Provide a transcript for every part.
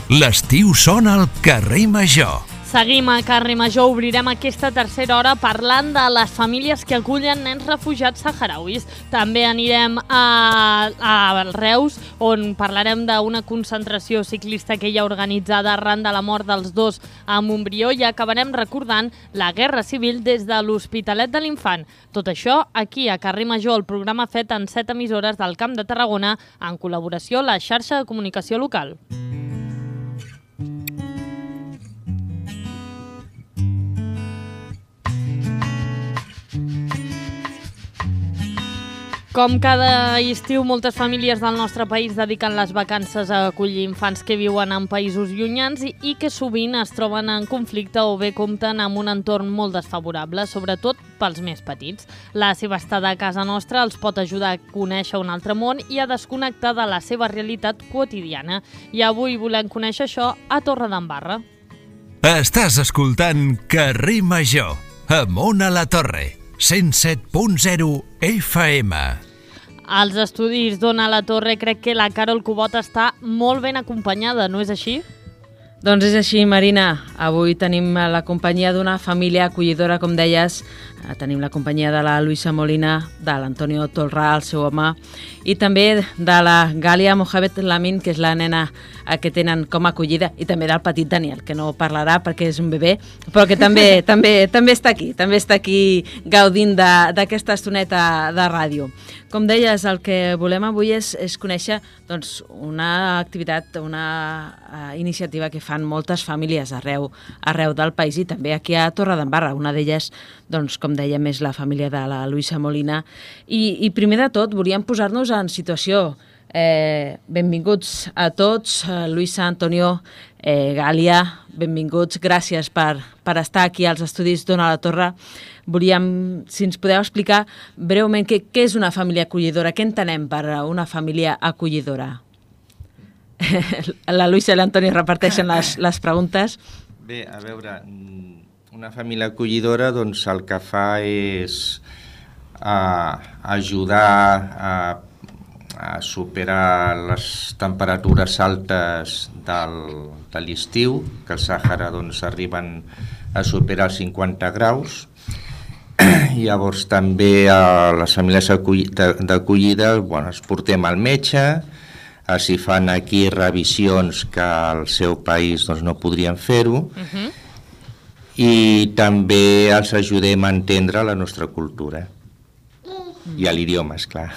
L'estiu sona al carrer Major. Seguim a Carrer Major, obrirem aquesta tercera hora parlant de les famílies que acullen nens refugiats saharauis. També anirem a Reus, on parlarem d'una concentració ciclista que hi ha organitzada arran de la mort dels dos a Montbrió, i acabarem recordant la Guerra Civil des de l'Hospitalet de l'Infant. Tot això aquí a Carrer Major, el programa fet en 7 emissores del Camp de Tarragona, en col·laboració amb la xarxa de comunicació local. Com cada estiu, moltes famílies del nostre país dediquen les vacances a acollir infants que viuen en països llunyans i que sovint es troben en conflicte o bé compten amb un entorn molt desfavorable, sobretot pels més petits. La seva estada a casa nostra els pot ajudar a conèixer un altre món i a desconnectar de la seva realitat quotidiana. I avui volem conèixer això a Torredembarra. Estàs escoltant Carrer Major, amunt a la Torre, 107.0 FM. Als estudis d'Ona a la Torre crec que la Carol Cubot està molt ben acompanyada, no és així? Doncs és així, Marina. Avui tenim la companyia d'una família acollidora, com deies. Tenim la companyia de la Luisa Molina, de l'Antonio Tolrà, el seu home, i també de la Gàlia Mohamed Lamin, que és la nena que tenen com a acollida, i també del petit Daniel, que no parlarà perquè és un bebè, però que també està aquí gaudint d'aquesta estoneta de ràdio. Com deies, el que volem avui és conèixer una activitat, una iniciativa que fan moltes famílies arreu del país i també aquí a Torredembarra. Una d'elles, com dèiem, és la família de la Luisa Molina. I primer de tot volíem posar-nos en situació. Benvinguts a tots, Luisa, Antonio, Gàlia, benvinguts, gràcies per estar aquí als estudis d'Ona a la Torre. Volíem, si ens podeu explicar breument què és una família acollidora, què entenem per una família acollidora. La Luisa i l'Antonio reparteixen les preguntes. Bé, a veure, una família acollidora el que fa és ajudar a superar les temperatures altes de l'estiu, que al Sàhara arriben a superar els 50 graus. Llavors també a les famílies d'acollida els portem al metge, s'hi fan aquí revisions que al seu país no podrien fer-ho, i també els ajudem a entendre la nostra cultura i l'idioma, esclar.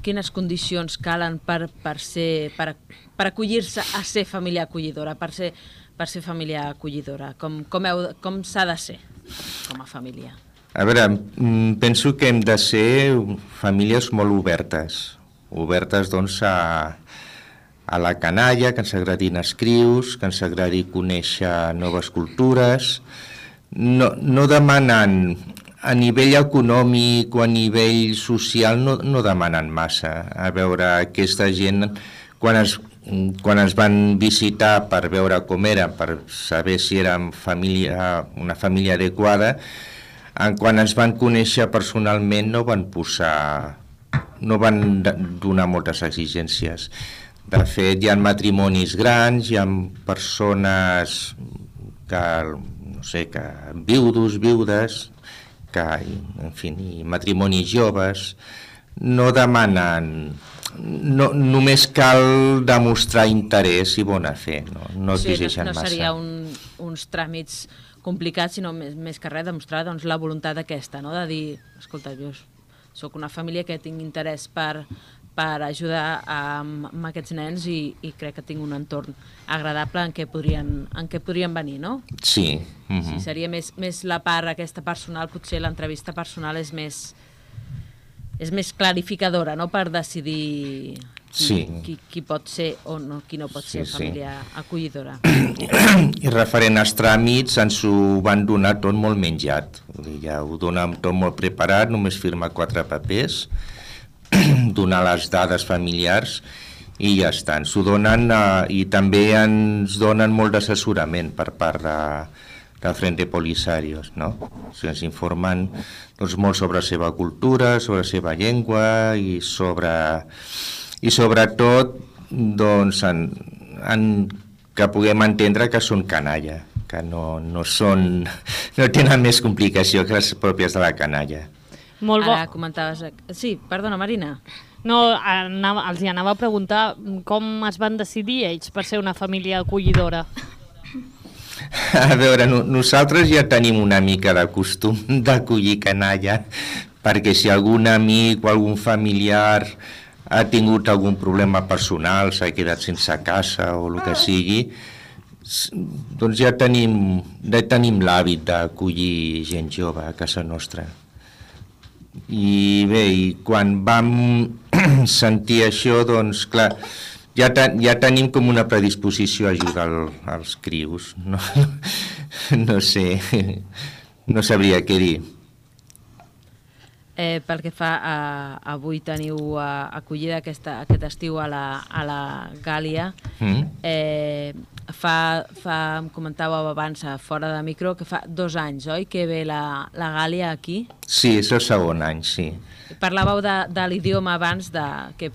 Quines condicions calen per acollir-se a ser família acollidora, per ser família acollidora? Com s'ha de ser com a família? A veure, penso que hem de ser famílies molt obertes a la canalla, que ens agradin escrius, que ens agradi conèixer noves cultures. No demanen, a nivell econòmic o a nivell social, no demanen massa. A veure, aquesta gent, quan ens van visitar per veure com eren, per saber si érem una família adequada, quan ens van conèixer personalment no van donar moltes exigències. De fet, hi ha matrimonis grans, hi ha persones que viudes, i matrimonis joves, no demanen, només cal demostrar interès i bona fe, no exigeixen massa. No seria uns tràmits complicats, sinó més que res demostrar la voluntat aquesta, de dir, escolta, jo soc una família que tinc interès per ajudar amb aquests nens i crec que tinc un entorn agradable en què podrien venir, no? Sí. Sí, seria més la part aquesta personal, potser l'entrevista personal és més clarificadora, no?, per decidir qui pot ser o no, qui no pot ser família acollidora. I referent als tràmits, ens ho van donar tot molt menjat. Ja ho donen tot molt preparat, només firma 4 papers, donar les dades familiars i ja està. Ens ho donen i també ens donen molt d'assessorament per part del Frente Polisario, no? Ens informen molt sobre la seva cultura, sobre la seva llengua i sobre i sobretot doncs, que puguem entendre que són canalla, que no tenen més complicació que les pròpies de la canalla. Molt bo. Ara comentaves... Sí, perdona, Marina. No, els hi anava a preguntar com es van decidir ells per ser una família acollidora. A veure, nosaltres ja tenim una mica de costum d'acollir canalla, perquè si algun amic o algun familiar ha tingut algun problema personal, s'ha quedat sense casa o el que sigui, doncs ja tenim l'hàbit d'acollir gent jove a casa nostra. I bé, quan vam sentir això, doncs clar, ja tenim com una predisposició a ajudar els crios. No sé, no sabria què dir. Pel que fa a avui teniu acollida aquest estiu a la Gàlia. Em comentàveu abans, fora de micro, que fa 2 anys, oi, que ve la Gàlia aquí? Sí, és el segon any, sí. Parlàveu de l'idioma abans, que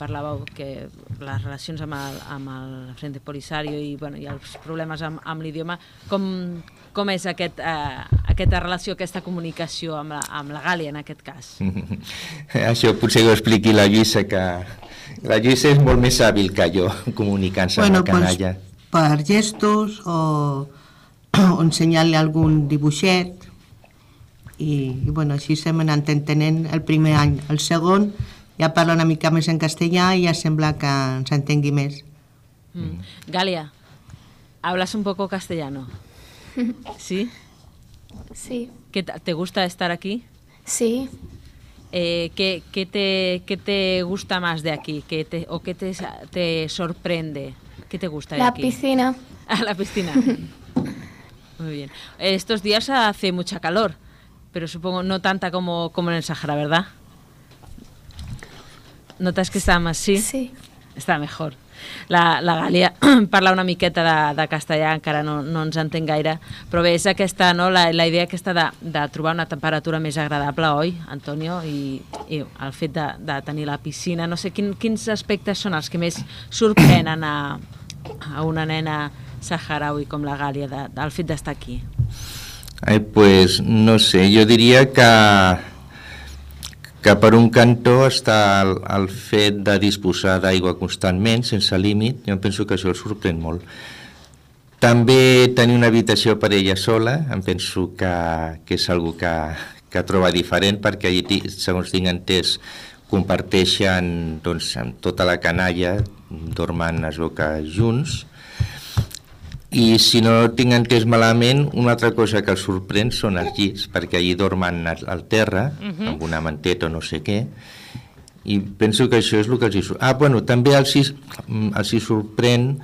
parlàveu que les relacions amb el Frente Polisario i els problemes amb l'idioma, com és aquesta relació, aquesta comunicació amb la Gàlia en aquest cas? Això potser que ho expliqui la Lluïsa, que la Lluïsa és molt més hàbil que jo comunicant-se amb la canalla. Per gestos o ensenyar-li algun dibuixet i així s'hem anat entenent el primer any. El segon ja parla una mica més en castellà i ja sembla que ens entengui més. Galia, ¿hablas un poco castellano? ¿Sí? Sí. ¿Te gusta estar aquí? Sí. ¿Qué te gusta más de aquí? ¿Qué te sorprende? ¿Qué te gusta de aquí? La piscina. Ah, la piscina. Muy bien. Estos días hace mucha calor, pero supongo no tanta como en el Sahara, ¿verdad? ¿Notas que está más? Sí? Sí. Està mejor. La Gàlia parla una miqueta de castellà, encara no ens entén gaire, però bé, és aquesta, no, la idea aquesta de trobar una temperatura més agradable, oi, Antonio? I el fet de tenir la piscina, no sé, quins aspectes són els que més sorprenen a una nena saharaui com la Gàlia del fet d'estar aquí? Pues no sé, jo diria que per un cantó està el fet de disposar d'aigua constantment, sense límit. Jo penso que això el sorprèn molt. També tenir una habitació per ella sola, em penso que és una cosa que troba diferent, perquè allí, segons tinc entès, comparteixen amb tota la canalla, dormen, es veu que junts. I si no tinc entès malament, una altra cosa que els sorprèn són els llits, perquè allí dormen al terra, amb una manteta o no sé què, i penso que això és el que els hi sorprèn. També els hi sorprèn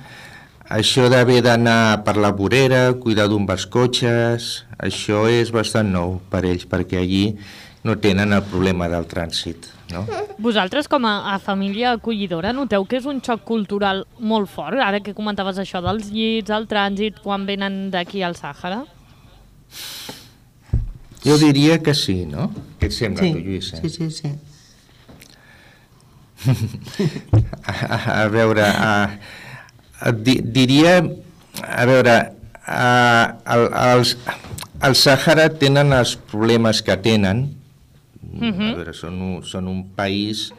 això d'haver d'anar per la vorera, cuidar d'un dels cotxes, això és bastant nou per ells, perquè allí no tenen el problema del trànsit. No? Vosaltres, com a família acollidora, noteu que és un xoc cultural molt fort, ara que comentaves això dels llits, el trànsit, quan venen d'aquí al Sàhara? Jo diria que sí, no? Què et sembla, tu, Lluïsa? Sí. A veure, diria... A veure, al Sàhara tenen els problemes que tenen. A veure, són un país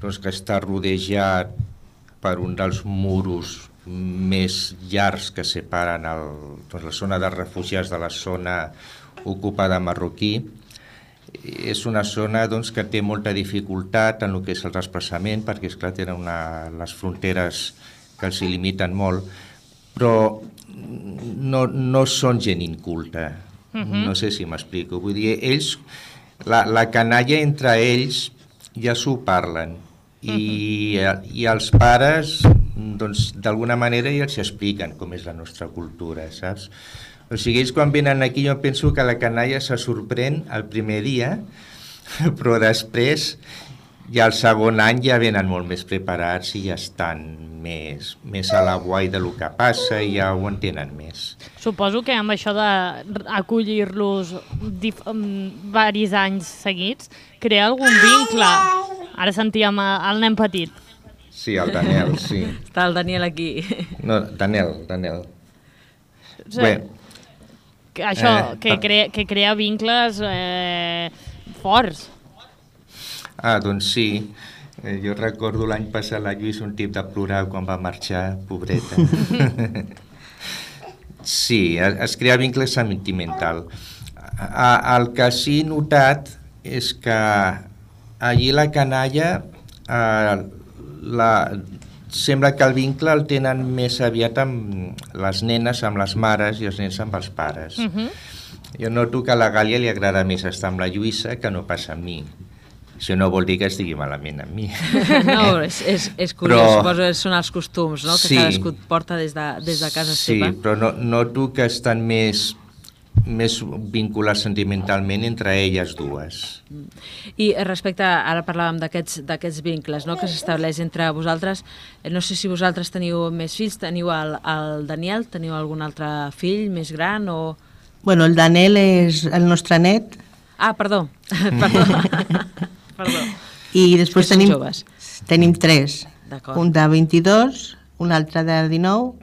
que està rodejat per un dels muros més llargs que separen la zona de refugiats de la zona ocupada marroquí. És una zona que té molta dificultat en el que és el desplaçament, perquè esclar, tenen les fronteres que els limiten molt, però no són gent inculta. No sé si m'explico. Vull dir, ells... La canalla entre ells ja s'ho parlen i els pares d'alguna manera ja els expliquen com és la nostra cultura, saps? O sigui, ells quan venen aquí jo penso que la canalla se sorprèn el primer dia, però després ja el segon any ja venen molt més preparats i ja estan més a la guai del que passa i ja ho entenen més. Suposo que amb això d'acollir-los diversos anys seguits crea algun vincle Ara sentíem el nen petit. Sí, el Daniel, sí. Està el Daniel aquí. No, Daniel. Bé, això, que crea vincles forts. Doncs sí. Jo recordo l'any passat la Lluís un tip de plorar quan va marxar, pobreta. Sí, es crea vincle sentimental. El que sí he notat és que allí la canalla sembla que el vincle el tenen més aviat amb les nenes, amb les mares, i els nens amb els pares. Jo noto que a la Gàlia li agrada més estar amb la Lluïsa que no pas amb mi. Això no vol dir que estigui malament amb mi. No, és curiós, suposo que són els costums, no? Que cadascú porta des de casa seva. Sí, però noto que estan més vinculats sentimentalment entre elles dues. I respecte, ara parlàvem d'aquests vincles, no?, que s'estableix entre vosaltres, no sé si vosaltres teniu més fills, teniu el Daniel, teniu algun altre fill més gran o... Bueno, el Daniel és el nostre net. Ah, perdó. I després tenim 3. D'acord. Un de 22, un altre de 19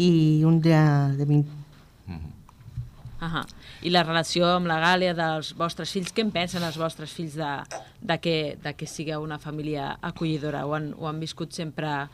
i un de 20. I la relació amb la Gàlia dels vostres fills, què en pensen els vostres fills de que sigueu una família acollidora? Ho han viscut sempre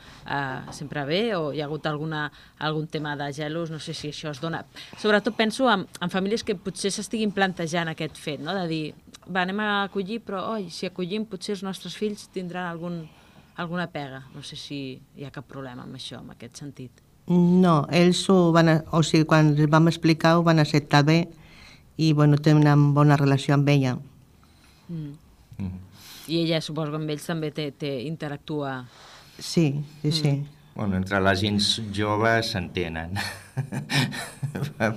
bé o hi ha hagut algun tema de gelos? No sé si això es dona. Sobretot penso en famílies que potser s'estiguin plantejant aquest fet, no? De dir, anem a acollir, però si acollim potser els nostres fills tindran alguna pega. No sé si hi ha cap problema amb això, en aquest sentit. No, ells quan els vam explicar ho van acceptar bé i tenen una bona relació amb ella. I ella, suposo que amb ells també interactua. Sí. Bueno, entre la gent jove s'entenen,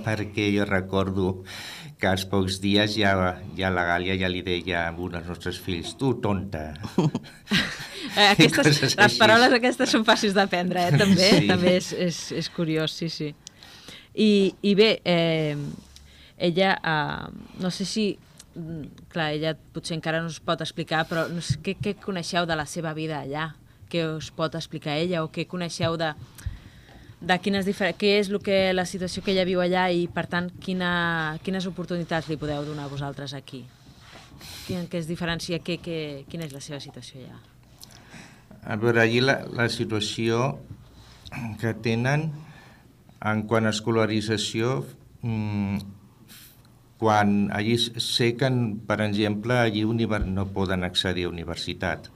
perquè jo recordo que als pocs dies ja la Gàlia ja li deia a un dels nostres fills, tu, tonta. Les paraules aquestes són fàcils d'aprendre, també. Sí. També és curiós, sí. I bé, ella, no sé si... Clar, ella potser encara no us pot explicar, però no sé, què coneixeu de la seva vida allà? Què us pot explicar ella? O què coneixeu de què és la situació que ella viu allà i, per tant, quines oportunitats li podeu donar a vosaltres aquí? Què es diferencia? Quina és la seva situació allà? A veure, allí la situació que tenen en quant a escolarització, quan allí sé que, per exemple, allí no poden accedir a universitat.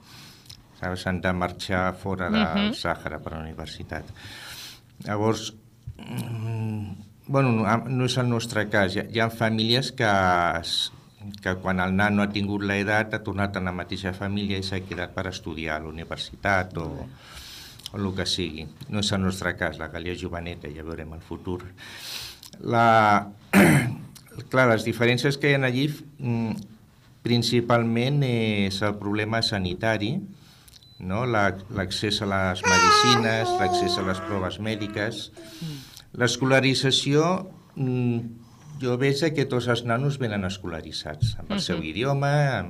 S'han de marxar fora del Sàhara per a la universitat. Llavors, no és el nostre cas. Hi ha famílies que quan el nano ha tingut l'edat ha tornat a la mateixa família i s'ha quedat per estudiar a la universitat o el que sigui. No és el nostre cas, la Gàlia joveneta, ja veurem el futur. Clar, les diferències que hi ha allí principalment és el problema sanitari, no? L'accés a les medicines, l'accés a les proves mèdiques. L'escolarització, jo veig que tots els nanos venen escolaritzats, amb el seu idioma,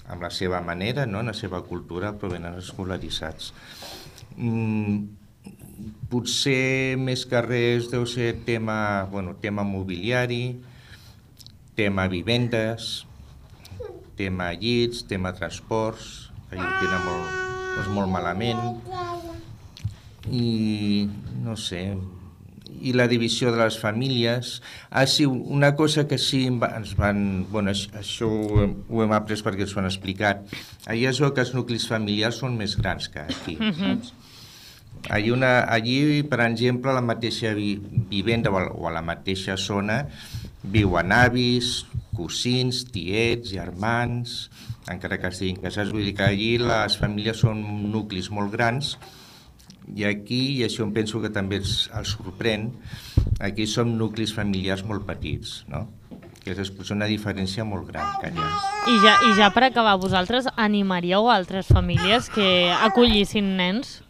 amb la seva manera, no? La seva cultura, però venen escolaritzats. Potser més que res deu ser tema mobiliari, tema vivendes, tema llits, tema transports, que ho tenen molt malament, i no sé, i la divisió de les famílies. Sí, una cosa que sí ens van... això ho hem après perquè ens ho han explicat. Allí es veu que els nuclis familiars són més grans que aquí, saps? Allí, per exemple, a la mateixa vivenda o a la mateixa zona viuen avis, cosins, tiets, germans, encara que estiguin casats. Vull dir que allí les famílies són nuclis molt grans i aquí, i això em penso que també els sorprèn, aquí som nuclis familiars molt petits, no? Que és una diferència molt gran que allà. I ja per acabar, vosaltres animaríeu altres famílies que acollissin nens?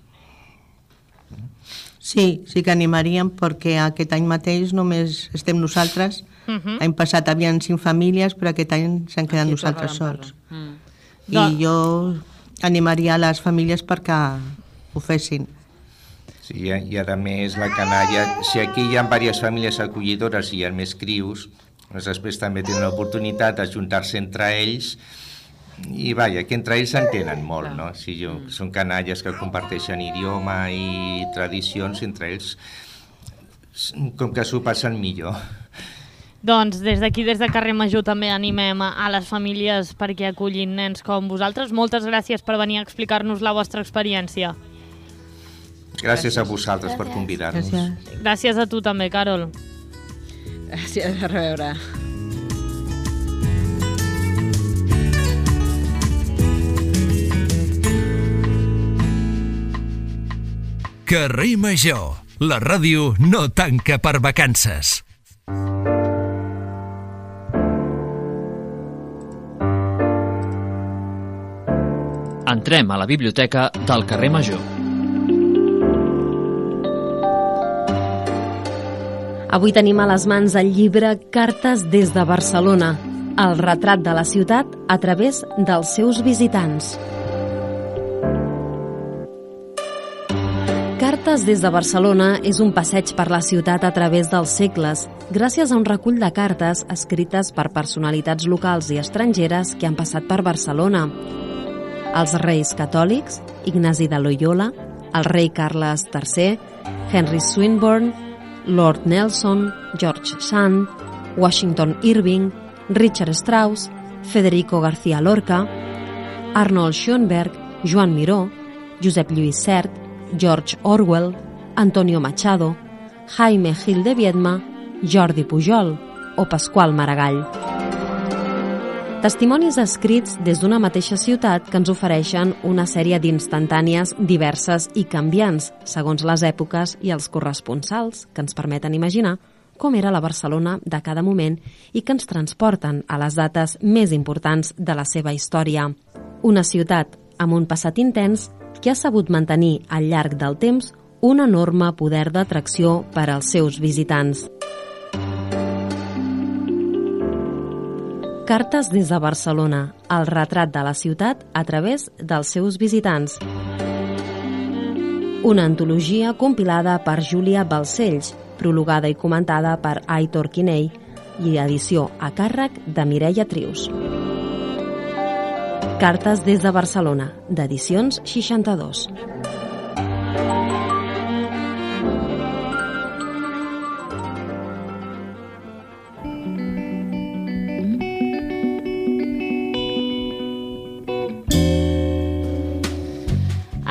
Sí que animaríem, perquè aquest any mateix només estem nosaltres. L'any passat havien 5 famílies, però aquest any s'han quedat nosaltres sols. I jo animaria a les famílies perquè ho fessin. Sí, i a més la canalla, si aquí hi ha diverses famílies acollidores i hi ha més crius, doncs després també tenen l'oportunitat d'ajuntar-se entre ells i vaja, que entre ells s'entenen molt, no? Si són canalles que comparteixen idioma i tradicions, entre ells com que s'ho passen millor. Doncs des d'aquí, des de Carrer Major, també animem a les famílies perquè acullin nens com vosaltres. Moltes gràcies per venir a explicar-nos la vostra experiència. Gràcies a vosaltres per convidar-nos. Gràcies a tu també, Carol. Gràcies, a reveure. Carrer Major, la ràdio no tanca per vacances. Entrem a la biblioteca del Carrer Major. Avui tenim a les mans el llibre Cartes des de Barcelona, el retrat de la ciutat a través dels seus visitants. Cartes des de Barcelona és un passeig per la ciutat a través dels segles, gràcies a un recull de cartes escrites per personalitats locals i estrangeres que han passat per Barcelona. Els reis catòlics, Ignasi de Loyola, el rei Carles III, Henry Swinburne, Lord Nelson, George Sand, Washington Irving, Richard Strauss, Federico García Lorca, Arnold Schoenberg, Joan Miró, Josep Lluís Sert, George Orwell, Antonio Machado, Jaime Gil de Viedma, Jordi Pujol o Pasqual Maragall. Testimonis escrits des d'una mateixa ciutat que ens ofereixen una sèrie d'instantànies diverses i canviants, segons les èpoques i els corresponsals, que ens permeten imaginar com era la Barcelona de cada moment i que ens transporten a les dates més importants de la seva història. Una ciutat amb un passat intens que ha sabut mantenir al llarg del temps un enorme poder d'atracció per als seus visitants. Cartes des de Barcelona, el retrat de la ciutat a través dels seus visitants. Una antologia compilada per Júlia Balcells, prologada i comentada per Aitor Quinell i edició a càrrec de Mireia Trius. Cartes des de Barcelona, d'Edicions 62.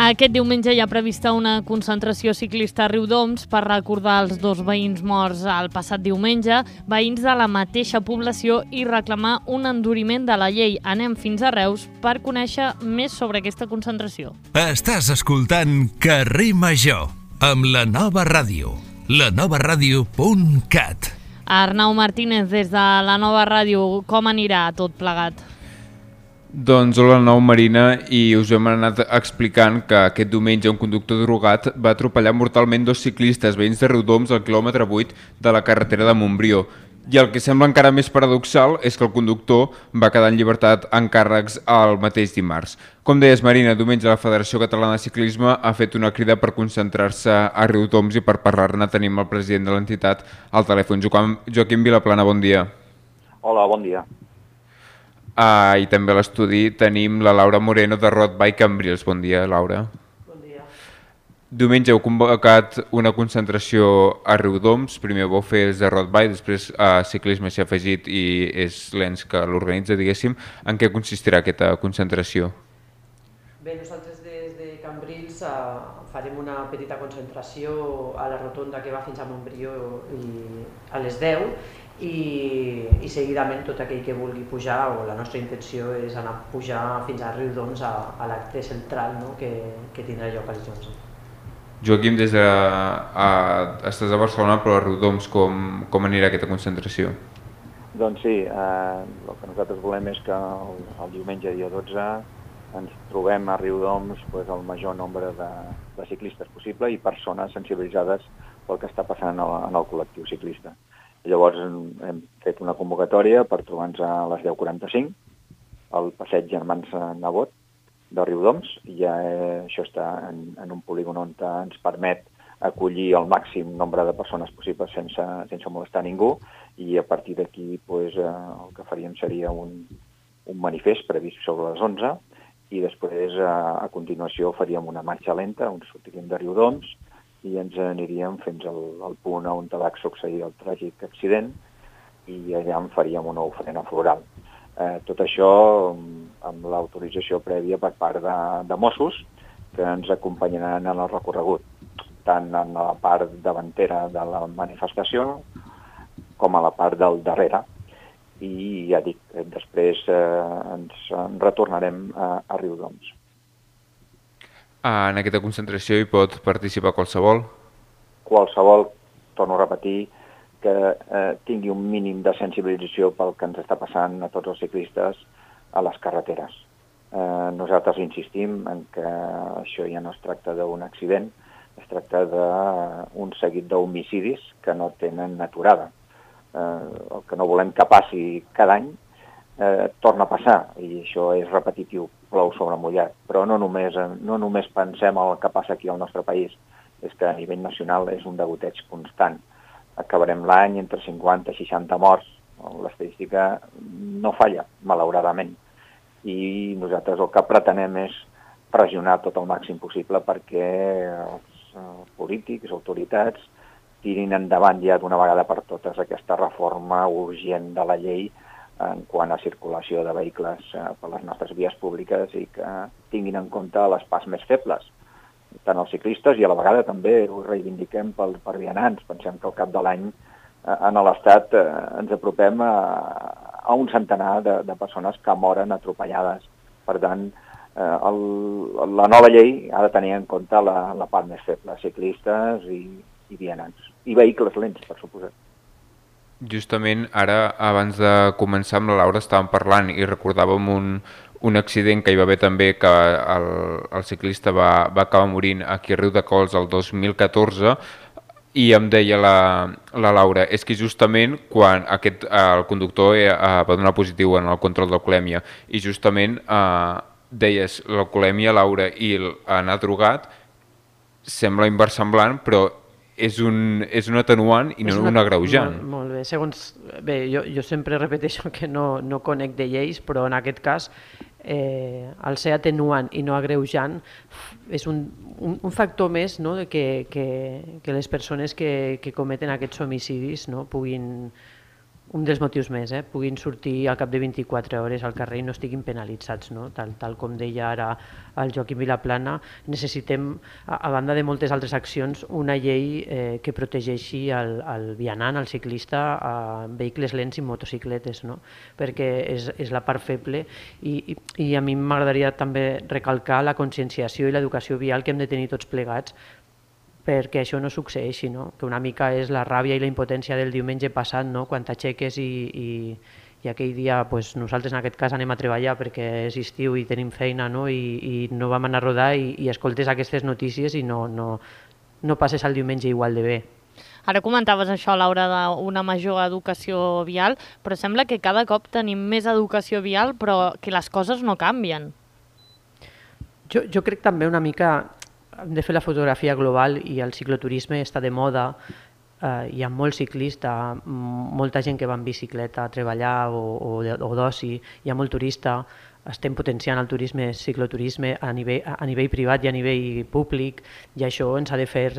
Aquest diumenge hi ha prevista una concentració ciclista a Riudoms per recordar els 2 veïns morts el passat diumenge, veïns de la mateixa població, i reclamar un enduriment de la llei. Anem fins a Reus per conèixer més sobre aquesta concentració. Estàs escoltant Carrer Major amb la Nova Ràdio, lanovaradio.cat. Arnau Martínez, des de la Nova Ràdio, com anirà tot plegat? Doncs hola, Arnau, Marina, i us hem anat explicant que aquest diumenge un conductor drogat va atropellar mortalment 2 ciclistes veïns de Riudoms al quilòmetre 8 de la carretera de Montbrió. I el que sembla encara més paradoxal és que el conductor va quedar en llibertat en càrrecs el mateix dimarts. Com deies, Marina, diumenge la Federació Catalana de Ciclisme ha fet una crida per concentrar-se a Riudoms i per parlar-ne tenim el president de l'entitat al telèfon. Joaquim Vilaplana, bon dia. Hola, bon dia. I també a l'estudi tenim la Laura Moreno de Road Bike Cambrils. Bon dia, Laura. Bon dia. Diumenge heu convocat una concentració a Riudoms. Primer vau fer els de Road Bike, després Ciclisme s'hi ha afegit i és l'ENS que l'organitza, diguéssim. En què consistirà aquesta concentració? Bé, nosaltres des de Cambrils farem una petita concentració a la rotonda que va fins a Montbrió a les 10 i seguidament tot aquell que vulgui pujar, o la nostra intenció és anar a pujar fins a Riudoms a l'acte central, no? que tindrà lloc als 11. Joaquim, estàs a Barcelona, però a Riudoms com anirà aquesta concentració? Doncs sí, el que nosaltres volem és que el diumenge dia 12 ens trobem a Riudoms el major nombre de ciclistes possible i persones sensibilitzades pel que està passant en el col·lectiu ciclista. Llavors hem fet una convocatòria per trobar-nos a les 10:45 el passeig Germans Nebot de Riudoms. Ja això està en un polígon on ens permet acollir el màxim nombre de persones possibles sense molestar ningú, i a partir d'aquí el que faríem seria un manifest previst sobre les 11, i després a continuació faríem una marxa lenta on sortiríem de Riudoms i ens aniríem fins al punt on va succeir el tràgic accident, i allà en faríem una ofrena floral. Tot això amb l'autorització prèvia per part de Mossos, que ens acompanyaran en el recorregut, tant en la part davantera de la manifestació com a la part del darrere. I ja dic, després ens retornarem a Riudoms. En aquesta concentració hi pot participar qualsevol? Qualsevol, torno a repetir, que tingui un mínim de sensibilització pel que ens està passant a tots els ciclistes a les carreteres. Nosaltres insistim en que això ja no es tracta d'un accident, es tracta d'un seguit d'homicidis que no tenen aturada. El que no volem que passi cada any torna a passar, i això és repetitiu, plou sobre mullat. Però no només pensem el que passa aquí al nostre país, és que a nivell nacional és un degoteig constant. Acabarem l'any entre 50 i 60 morts, l'estadística no falla, malauradament. I nosaltres el que pretenem és pressionar tot el màxim possible perquè els polítics, autoritats, tirin endavant ja d'una vegada per totes aquesta reforma urgent de la llei en quant a circulació de vehicles per les nostres vies públiques i que tinguin en compte les parts més febles, tant els ciclistes, i a la vegada també ho reivindiquem per vianants. Pensem que al cap de l'any en l'Estat ens apropem a un centenar de persones que moren atropellades. Per tant, la nova llei ha de tenir en compte la part més feble, ciclistes i vianants. I vehicles lents, per suposat. Justament ara, abans de començar amb la Laura, estàvem parlant i recordàvem un accident que hi va haver també, que el ciclista va acabar morint aquí a Riudecols el 2014, i em deia la Laura, és que justament quan el conductor va donar positiu en el control d'alcoholèmia, i justament deies l'alcoholèmia, Laura, i anar drogat sembla inversemblant, però és un atenuant i no un agreujant. Molt bé. Jo sempre repeteixo que no conec de lleis, però en aquest cas el ser atenuant i no agreujant és un factor més, no, que les persones que cometen aquests homicidis puguin, un dels motius més, puguin sortir al cap de 24 hores al carrer i no estiguin penalitzats. Tal com deia ara el Joaquim Vilaplana, necessitem, a banda de moltes altres accions, una llei que protegeixi el vianant, el ciclista, a vehicles lents i motocicletes, perquè és la part feble, i a mi m'agradaria també recalcar la conscienciació i l'educació vial que hem de tenir tots plegats perquè això no succeeixi, que una mica és la ràbia i la impotència del diumenge passat, quan t'aixeques i aquell dia nosaltres en aquest cas anem a treballar perquè és estiu i tenim feina i no vam anar a rodar i escoltes aquestes notícies i no passes el diumenge igual de bé. Ara comentaves això, Laura, d'una major educació vial, però sembla que cada cop tenim més educació vial però que les coses no canvien. Jo crec també una mica hem de fer la fotografia global i el cicloturisme està de moda, hi ha molt ciclista, molta gent que va en bicicleta a treballar o d'oci, hi ha molt turista, estem potenciant el turisme, cicloturisme a nivell privat i a nivell públic, i això ens ha de fer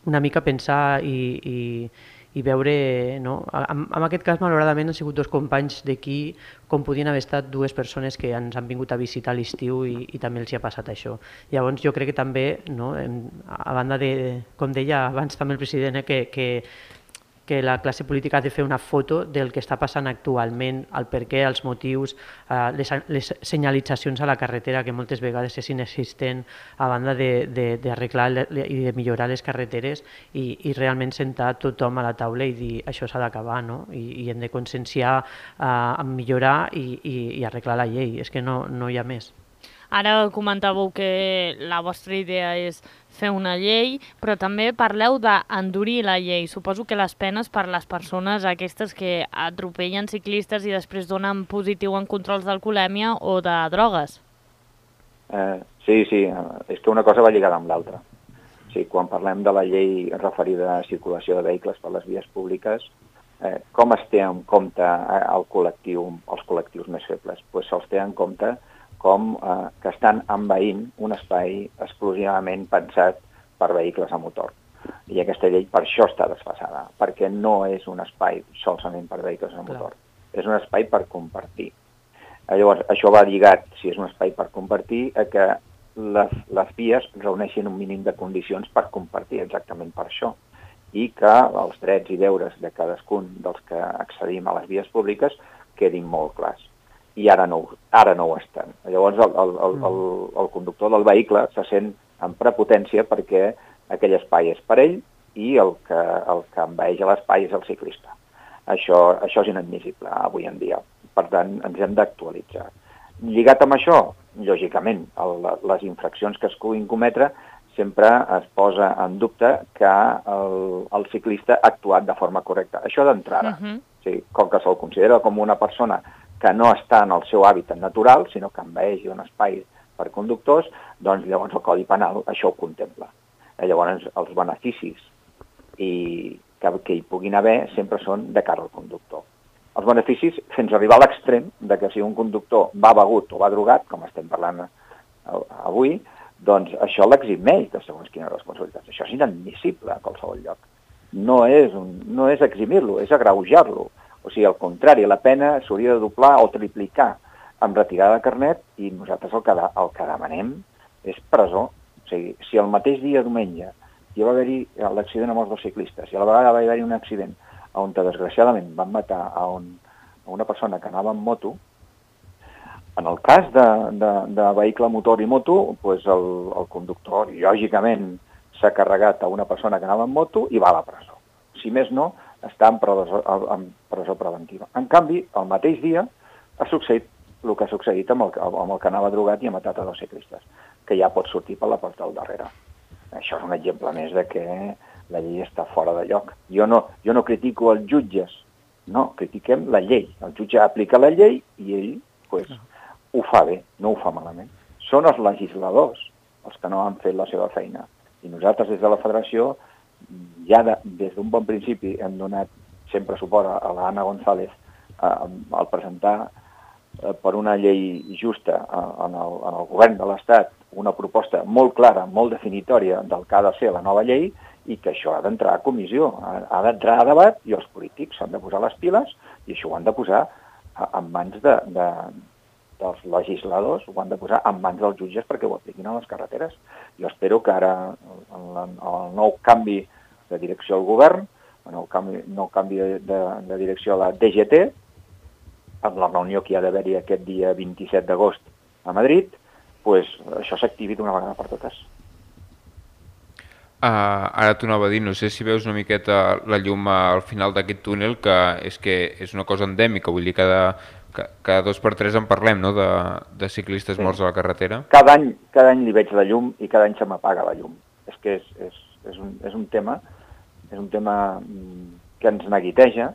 una mica pensar i veure, en aquest cas malauradament han sigut dos companys d'aquí com podien haver estat dues persones que ens han vingut a visitar a l'estiu i també els hi ha passat això. Llavors jo crec que també, a banda de, com deia abans també el president, que la classe política ha de fer una foto del que està passant actualment, el perquè, els motius, les senyalitzacions a la carretera que moltes vegades és inexistent, a banda d'arreglar i de millorar les carreteres i realment sentar tothom a la taula i dir això s'ha d'acabar, i hem de conscienciar, millorar i arreglar la llei, és que no hi ha més. Ara comentàveu que la vostra idea és fer una llei, però també parleu d'endurir la llei. Suposo que les penes per les persones aquestes que atropellen ciclistes i després donen positiu en controls d'alcoholèmia o de drogues. Sí, és que una cosa va lligada amb l'altra. Sí, quan parlem de la llei referida a circulació de vehicles per les vies públiques, com es té en compte els col·lectius més febles? Pues se'ls té en compte com que estan envaint un espai exclusivament pensat per vehicles a motor. I aquesta llei per això està desfasada, perquè no és un espai solament per vehicles a motor. És un espai per compartir. Llavors, això va lligat, si és un espai per compartir, a que les vies reuneixin un mínim de condicions per compartir, exactament per això, i que els drets i deures de cadascun dels que accedim a les vies públiques quedin molt clars. I ara no ho estan. Llavors, el conductor del vehicle se sent en prepotència perquè aquell espai és per ell i el que envaeix l'espai és el ciclista. Això és inadmissible avui en dia. Per tant, ens hem d'actualitzar. Lligat amb això, lògicament, les infraccions que es puguin cometre sempre es posa en dubte que el ciclista ha actuat de forma correcta. Això d'entrada. Sí, com que se'l considera com una persona que no està en el seu hàbitat natural, sinó que envaeix un espai per conductors, doncs llavors el Codi Penal això ho contempla. Llavors els beneficis que hi puguin haver sempre són de cara al conductor. Els beneficis fins a arribar a l'extrem de que si un conductor va begut o va drogat, com estem parlant avui, doncs això l'eximeix de segons quines responsabilitats. Això és inadmissible a qualsevol lloc. No és eximir-lo, és agreujar-lo. O sigui, al contrari, la pena s'hauria de doblar o triplicar amb retirada de carnet i nosaltres el que demanem és presó. O sigui, si el mateix dia, diumenge, hi va haver-hi l'accident amb els dos ciclistes i a la vegada va haver-hi un accident on desgraciadament van matar a una persona que anava en moto, en el cas de vehicle motor i moto, doncs el conductor, lògicament, s'ha carregat a una persona que anava en moto i va a la presó. Si més no, està en presó preventiva. En canvi, el mateix dia ha succeït el que ha succeït amb el que anava drogat i ha matat a dos ciclistes, que ja pot sortir per la porta del darrere. Això és un exemple més de que la llei està fora de lloc. Jo no critico els jutges, no, critiquem la llei. El jutge aplica la llei i ell ho fa bé, no ho fa malament. Són els legisladors els que no han fet la seva feina. I nosaltres des de la federació ja des d'un bon principi hem donat sempre suport a l'Anna González al presentar per una llei justa en el govern de l'Estat una proposta molt clara, molt definitòria del que ha de ser la nova llei i que això ha d'entrar a comissió, ha d'entrar a debat i els polítics s'han de posar les piles i això ho han de posar en mans dels legisladors, ho han de posar en mans dels jutges perquè ho apliquin a les carreteres. Jo espero que ara, en el nou canvi de direcció al govern, en el nou canvi de direcció a la DGT, amb la reunió que hi ha d'haver-hi aquest dia 27 d'agost a Madrid, doncs això s'activi d'una vegada per totes. Ara t'ho anava a dir, no sé si veus una miqueta la llum al final d'aquest túnel, que és una cosa endèmica, vull dir, cada 2 per 3 en parlem, no?, de ciclistes morts a la carretera. Cada any li veig la llum i cada any se m'apaga la llum. És que és un tema que ens neguiteja.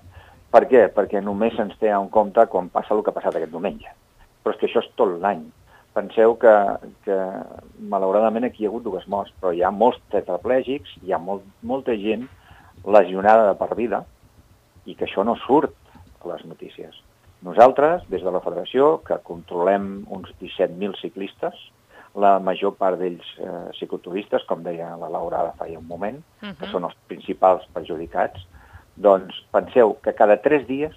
Per què? Perquè només se'ns té en compte quan passa el que ha passat aquest diumenge. Però és que això és tot l'any. Penseu que malauradament aquí hi ha hagut 2 morts, però hi ha molts tetraplègics, hi ha molta gent lesionada de per vida i que això no surt a les notícies. Nosaltres, des de la federació, que controlem uns 17.000 ciclistes, la major part d'ells cicloturistes, com deia la Laura ara fa un moment, que són els principals perjudicats, doncs penseu que cada 3 dies,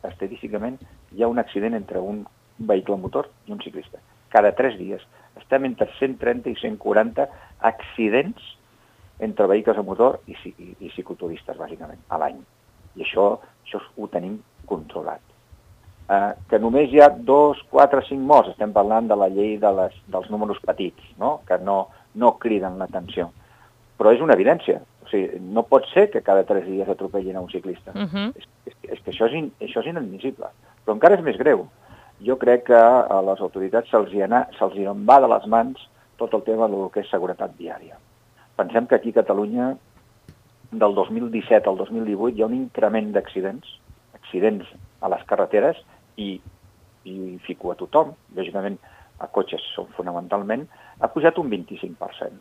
estadísticament, hi ha un accident entre un vehicle motor i un ciclista. Cada 3 dies. Estem entre 130 i 140 accidents entre vehicles a motor i cicloturistes, bàsicament, a l'any. I això ho tenim controlat. Que només hi ha 2, 4, 5 morts, estem parlant de la llei dels números petits, no? Que no criden l'atenció. Però és una evidència. O sigui, no pot ser que cada 3 dies atropellin a un ciclista. És que això és inadmissible. Però encara és més greu. Jo crec que a les autoritats se'ls en va de les mans tot el tema del que és seguretat viària. Pensem que aquí a Catalunya, del 2017 al 2018, hi ha un increment d'accidents a les carreteres i fico a tothom, lògicament a cotxes són fonamentalment, ha pujat un 25%.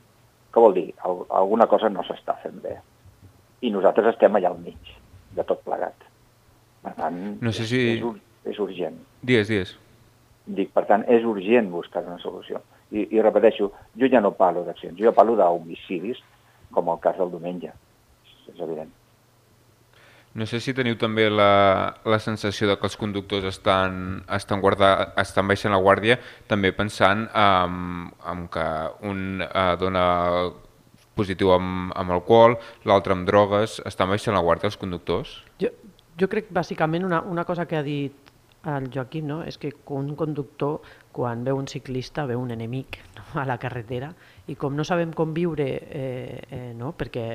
Què vol dir? Alguna cosa no s'està fent bé. I nosaltres estem allà al mig de tot plegat. Per tant, no sé si... és urgent. Digues. Dic, per tant, és urgent buscar una solució. I repeteixo, jo ja no parlo d'accidents, jo parlo d'homicidis, com el cas del diumenge. És evident. No sé si teniu també la sensació de que els conductors estan baixant la guàrdia, també pensant en que un dona positiu amb alcohol, l'altre amb drogues. Estan baixant la guàrdia els conductors? Jo crec, bàsicament, una cosa que ha dit el Joaquim, no? És que un conductor, quan veu un ciclista, veu un enemic, no? A la carretera, i com no sabem com viure, no? Perquè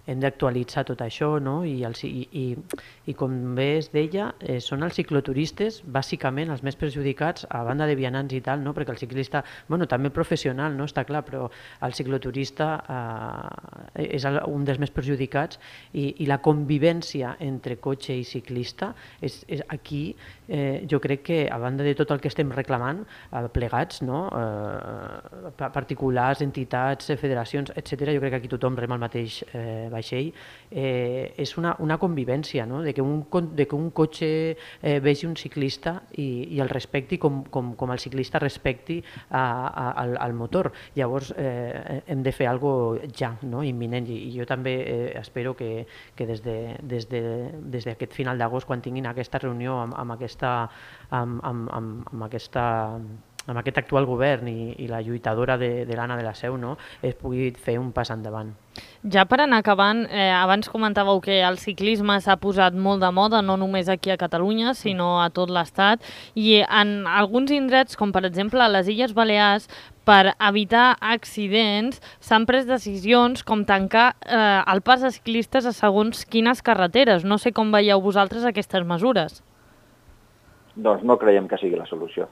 hem d'actualitzar tot això, no? I com bé es deia, són els cicloturistes bàsicament els més perjudicats, a banda de vianants i tal, no? Perquè el ciclista, bueno, també el professional, no? Està clar, però el cicloturista és un dels més perjudicats i la convivència entre cotxe i ciclista és aquí, jo crec que a banda de tot el que estem reclamant plegats, no? Particulars, entitats, federacions, etc., jo crec que aquí tothom rema el mateix vaixell, és una convivència, no? De que un cotxe vegi un ciclista i el respecti com el ciclista respecti al motor. Llavors hem de fer alguna cosa ja, no? Imminent, i jo també espero que des d'aquest final d'agost, quan tinguin aquesta reunió amb aquest actual govern i la lluitadora de l'Anna de la Seu, no? Es pugui fer un pas endavant. Ja per anar acabant, abans comentàveu que el ciclisme s'ha posat molt de moda, no només aquí a Catalunya, sinó a tot l'Estat, i en alguns indrets, com per exemple a les Illes Balears, per evitar accidents, s'han pres decisions com tancar el pas de ciclistes a segons quines carreteres. No sé com veieu vosaltres aquestes mesures. Doncs no creiem que sigui la solució.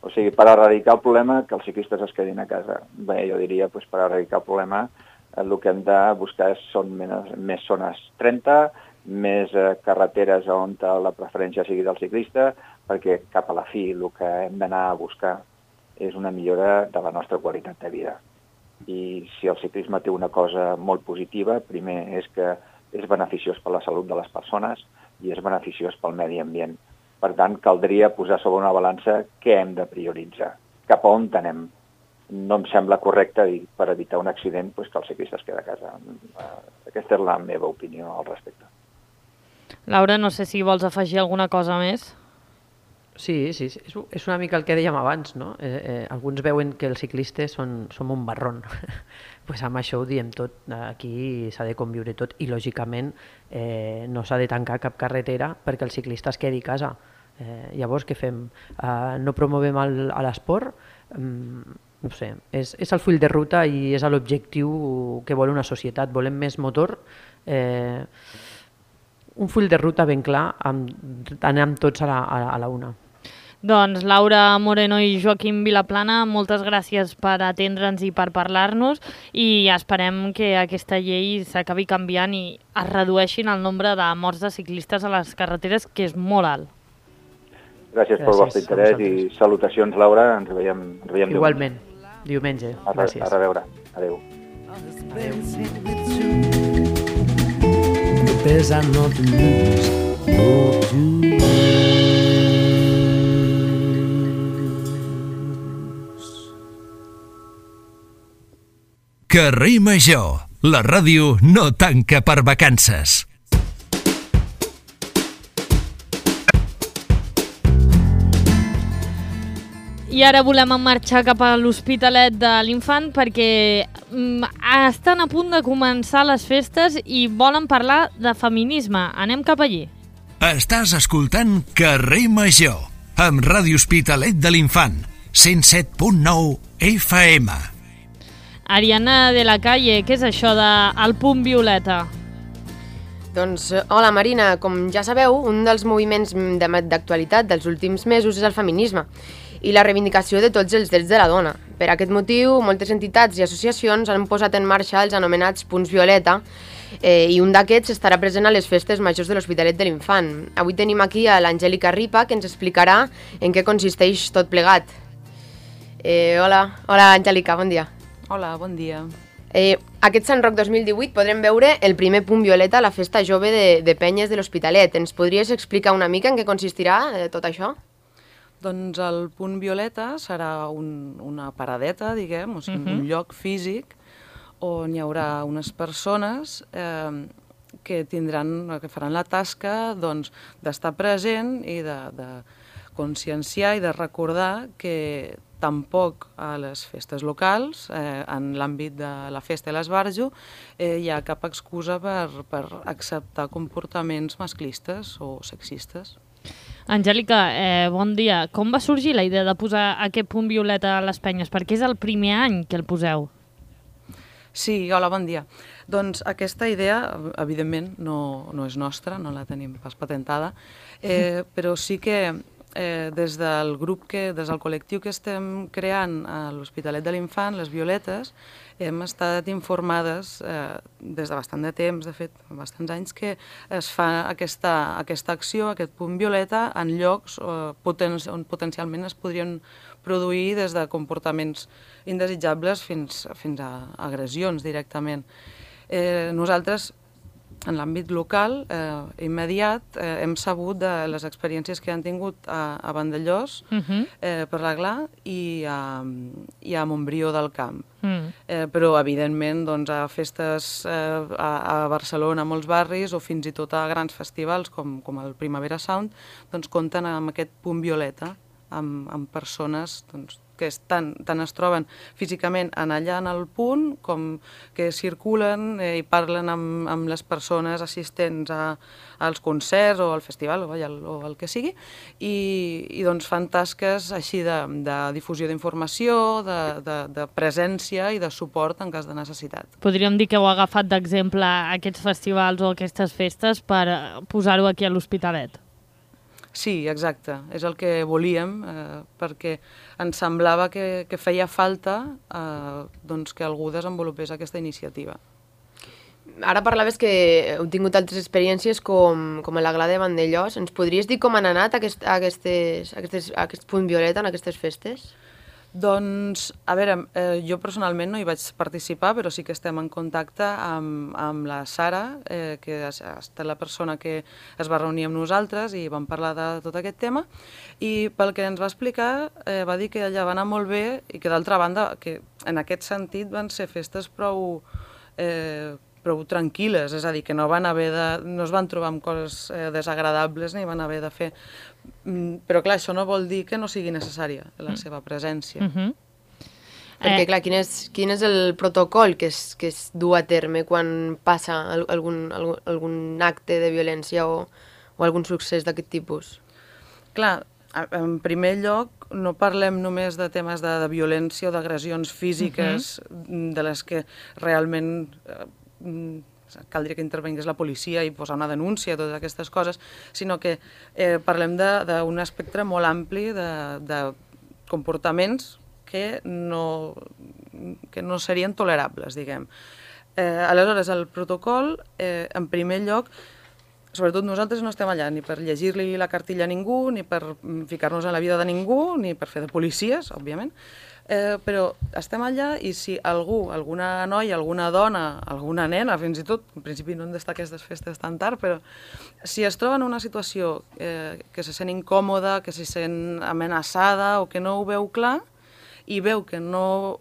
O sigui, per erradicar el problema, que els ciclistes es quedin a casa. Bé, jo diria, per erradicar el problema, el que hem de buscar són més zones 30, més carreteres on la preferència sigui del ciclista, perquè cap a la fi el que hem d'anar a buscar és una millora de la nostra qualitat de vida. I si el ciclisme té una cosa molt positiva, primer és que és beneficiós per la salut de les persones i és beneficiós pel medi ambient. Per tant, caldria posar sobre una balança què hem de prioritzar, cap a on anem. No em sembla correcte dir, per evitar un accident, que el ciclista es queda a casa. Aquesta és la meva opinió al respecte. Laura, no sé si vols afegir alguna cosa més. Sí, és una mica el que dèiem abans, no? Alguns veuen que els ciclistes som un marrón. Pues amb això ho diem tot, aquí s'ha de conviure tot i lògicament no s'ha de tancar cap carretera perquè el ciclista es quedi a casa. Llavors què fem? No promovem l'esport? No sé, és el full de ruta i és l'objectiu que vol una societat. Volem més motor, un full de ruta ben clar, anem tots a la una. Doncs Laura Moreno i Joaquim Vilaplana, moltes gràcies per atendre'ns i per parlar-nos i esperem que aquesta llei s'acabi canviant i es redueixin el nombre de morts de ciclistes a les carreteres, que és molt alt. Gràcies pel vostre interès i salutacions, Laura. Ens veiem diumenge. Igualment, diumenge. Gràcies. A reveure. Adéu. Carrer Major, la ràdio no tanca per vacances. I ara volem marxar cap a l'Hospitalet de l'Infant perquè estan a punt de començar les festes i volen parlar de feminisme. Anem cap allí. Estàs escoltant Carrer Major, amb Ràdio Hospitalet de l'Infant, 107.9 FM. Ariana de la Calle, què és això de El Punt Violeta? Doncs, hola Marina, com ja sabeu, un dels moviments d'actualitat dels últims mesos és el feminisme i la reivindicació de tots els drets de la dona. Per aquest motiu, moltes entitats i associacions han posat en marxa els anomenats punts violeta i un d'aquests estarà present a les festes majors de l'Hospitalet de l'Infant. Avui tenim aquí a l'Angèlica Ripa, que ens explicarà en què consisteix tot plegat. Hola Angèlica, bon dia. Hola, bon dia. Aquest Sant Roc 2018 podrem veure el primer punt violeta a la festa jove de Penyes de l'Hospitalet. Ens podries explicar una mica en què consistirà tot això? Doncs el punt violeta serà una paradeta, diguem, o sigui, un lloc físic on hi haurà unes persones que faran la tasca d'estar present i de conscienciar i de recordar que tampoc a les festes locals, en l'àmbit de la festa i l'esbarjo, hi ha cap excusa per acceptar comportaments masclistes o sexistes. Angèlica, bon dia. Com va sorgir la idea de posar aquest punt violeta a les Penyes? Perquè és el primer any que el poseu. Sí, hola, bon dia. Doncs aquesta idea, evidentment, no és nostra, no la tenim pas patentada, però sí que des del col·lectiu que estem creant a l'Hospitalet de l'Infant, les Violetes, hem estat informades des de bastant de temps, de fet, bastants anys, que es fa aquesta acció, aquest punt violeta, en llocs on potencialment es podrien produir des de comportaments indesitjables fins a agressions directament. Nosaltres, en l'àmbit local, immediat, hem sabut de les experiències que han tingut a Vandellós, per l'Aglà, i a Montbrió del Camp. Però, evidentment, a festes a Barcelona, a molts barris, o fins i tot a grans festivals, com el Primavera Sound, compten amb aquest punt violeta, amb persones que tant es troben físicament allà en el punt com que circulen i parlen amb les persones assistents als concerts o al festival o el que sigui i fan tasques així de difusió d'informació, de presència i de suport en cas de necessitat. Podríem dir que heu agafat d'exemple aquests festivals o aquestes festes per posar-ho aquí a l'Hospitalet. Sí, exacte, és el que volíem, perquè ens semblava que feia falta que algú desenvolupés aquesta iniciativa. Ara parlaves que heu tingut altres experiències com l'Aglà de Vandellós. Ens podries dir com han anat aquest punt violeta en aquestes festes? Doncs, a veure, jo personalment no hi vaig participar, però sí que estem en contacte amb la Sara, que ha estat la persona que es va reunir amb nosaltres i vam parlar de tot aquest tema, i pel que ens va explicar va dir que allà va anar molt bé i que d'altra banda, que en aquest sentit van ser festes prou tranquil·les, és a dir, que no es van trobar amb coses desagradables ni van haver de fer... Però clar, això no vol dir que no sigui necessària la seva presència. Perquè clar, quin és el protocol que es du a terme quan passa algun acte de violència o algun succés d'aquest tipus? Clar, en primer lloc, no parlem només de temes de violència o d'agressions físiques de les que realment caldria que intervingués la policia i posar una denúncia, totes aquestes coses, sinó que parlem d'un espectre molt ampli de comportaments que no serien tolerables, diguem. Aleshores, el protocol, en primer lloc, sobretot nosaltres no estem allà ni per llegir-li la cartilla a ningú, ni per ficar-nos en la vida de ningú, ni per fer de policies, òbviament, però estem allà i si algú, alguna noia, alguna dona, alguna nena, fins i tot, en principi no han d'estar aquestes festes tan tard, però si es troba en una situació que se sent incòmoda, que se sent amenaçada o que no ho veu clar i veu que no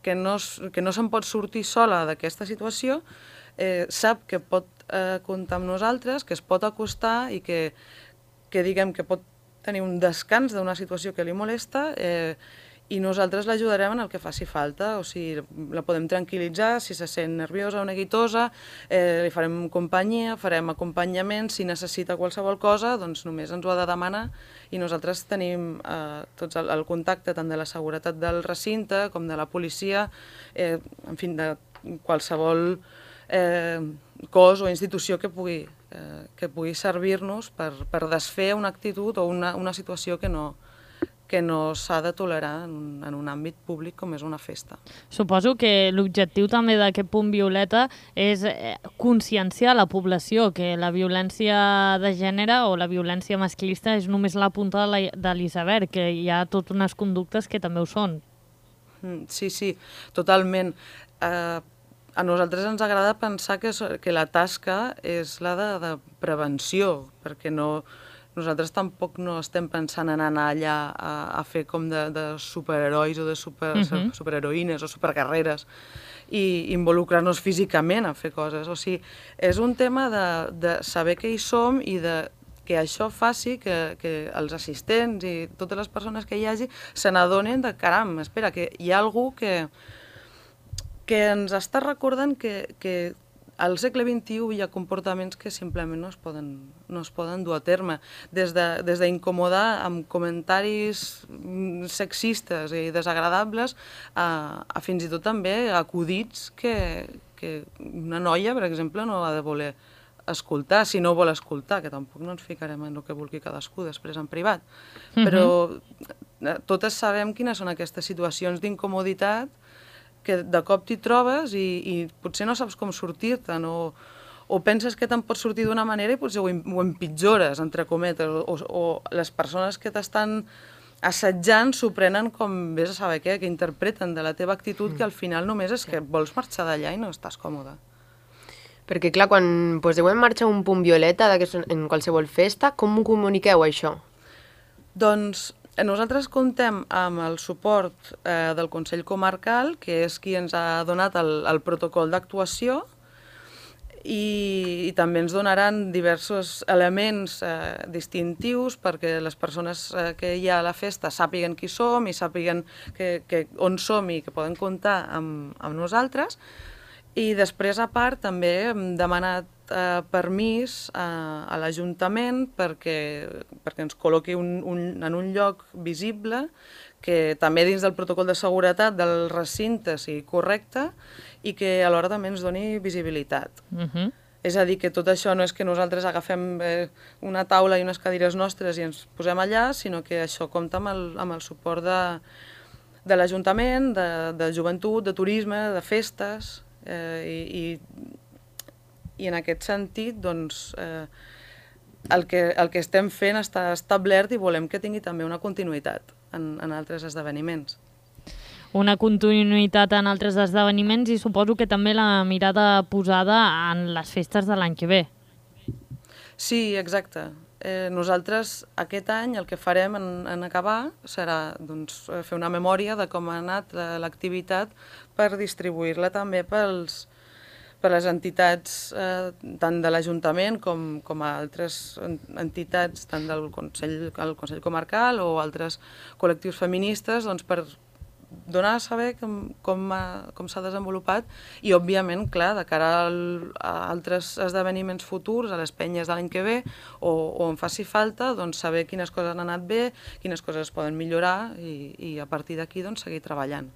se'n pot sortir sola d'aquesta situació, sap que pot comptar amb nosaltres, que es pot acostar i que diguem que pot tenir un descans d'una situació que li molesta i nosaltres l'ajudarem en el que faci falta, o sigui, la podem tranquil·litzar, si se sent nerviosa o neguitosa, li farem companyia, farem acompanyament, si necessita qualsevol cosa, doncs només ens ho ha de demanar i nosaltres tenim tots el contacte tant de la seguretat del recinte com de la policia, en fi, de qualsevol cos o institució que pugui servir-nos per desfer una actitud o una situació que no s'ha de tolerar en un àmbit públic com és una festa. Suposo que l'objectiu també d'aquest punt violeta és conscienciar la població que la violència de gènere o la violència masclista és només la punta de l'iceberg, que hi ha totes unes conductes que també ho són. Sí, totalment. A nosaltres ens agrada pensar que la tasca és la de prevenció, perquè nosaltres tampoc no estem pensant en anar allà a fer com de superherois o de superheroïnes o superguerreres i involucrar-nos físicament a fer coses. O sigui, és un tema de saber que hi som i que això faci que els assistents i totes les persones que hi hagi se n'adonen de, caram, espera, que hi ha algú que ens està recordant que al segle XXI hi ha comportaments que simplement no es poden dur a terme. Des d'incomodar amb comentaris sexistes i desagradables a fins i tot també acudits que una noia, per exemple, no ha de voler escoltar, si no vol escoltar, que tampoc no ens ficarem en el que vulgui cadascú després en privat. Però totes sabem quines són aquestes situacions d'incomoditat que de cop t'hi trobes i potser no saps com sortir-te'n o penses que te'n pots sortir d'una manera i potser ho empitjores, entre cometes, o les persones que t'estan assetjant s'ho prenen com vés a saber què, que interpreten de la teva actitud que al final només és que vols marxar d'allà i no estàs còmode. Perquè clar, quan poseu en marxa un punt violeta en qualsevol festa, com ho comuniqueu això? Doncs nosaltres comptem amb el suport del Consell Comarcal, que és qui ens ha donat el protocol d'actuació, i també ens donaran diversos elements distintius perquè les persones que hi ha a la festa sàpiguen qui som i sàpiguen on som i que poden comptar amb nosaltres. I després, a part, també hem demanat permís a l'Ajuntament perquè ens col·loqui en un lloc visible que també dins del protocol de seguretat del recinte sigui correcte i que alhora també ens doni visibilitat. És a dir, que tot això no és que nosaltres agafem una taula i unes cadires nostres i ens posem allà, sinó que això compta amb el suport de l'Ajuntament, de joventut, de turisme, de festes, i en aquest sentit doncs, el que estem fent està establert i volem que tingui també una continuïtat en altres esdeveniments. Una continuïtat en altres esdeveniments i suposo que també la mirada posada en les festes de l'any que ve. Sí, exacte. Nosaltres aquest any el que farem en acabar serà fer una memòria de com ha anat l'activitat per distribuir-la també per les entitats tant de l'Ajuntament com a altres entitats tant del Consell Comarcal o altres col·lectius feministes per donar a saber com s'ha desenvolupat i, òbviament, clar, de cara a altres esdeveniments futurs, a les penyes de l'any que ve, o on faci falta, saber quines coses han anat bé, quines coses es poden millorar i a partir d'aquí seguir treballant.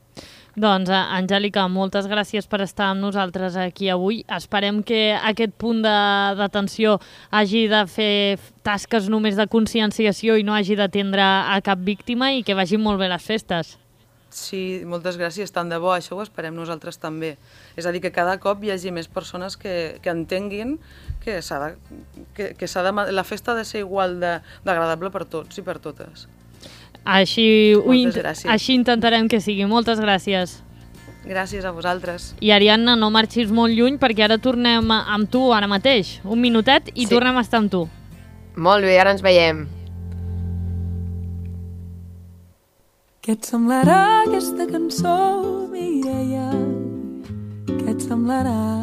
Doncs, Angèlica, moltes gràcies per estar amb nosaltres aquí avui. Esperem que aquest punt d'atenció hagi de fer tasques només de conscienciació i no hagi d'atendre a cap víctima i que vagin molt bé les festes. Sí, moltes gràcies, tant de bo, això ho esperem nosaltres també. És a dir, que cada cop hi hagi més persones que entenguin que la festa ha de ser igual d'agradable per tots i per totes. Així intentarem que sigui. Moltes gràcies. Gràcies a vosaltres. I Ariadna, no marxis molt lluny perquè ara tornem amb tu ara mateix. Un minutet i tornem a estar amb tu. Molt bé, ara ens veiem. Què et semblarà aquesta cançó, Mireia? Què et semblarà?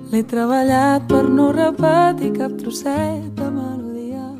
L'he treballat per no repetir cap trosset de melodia.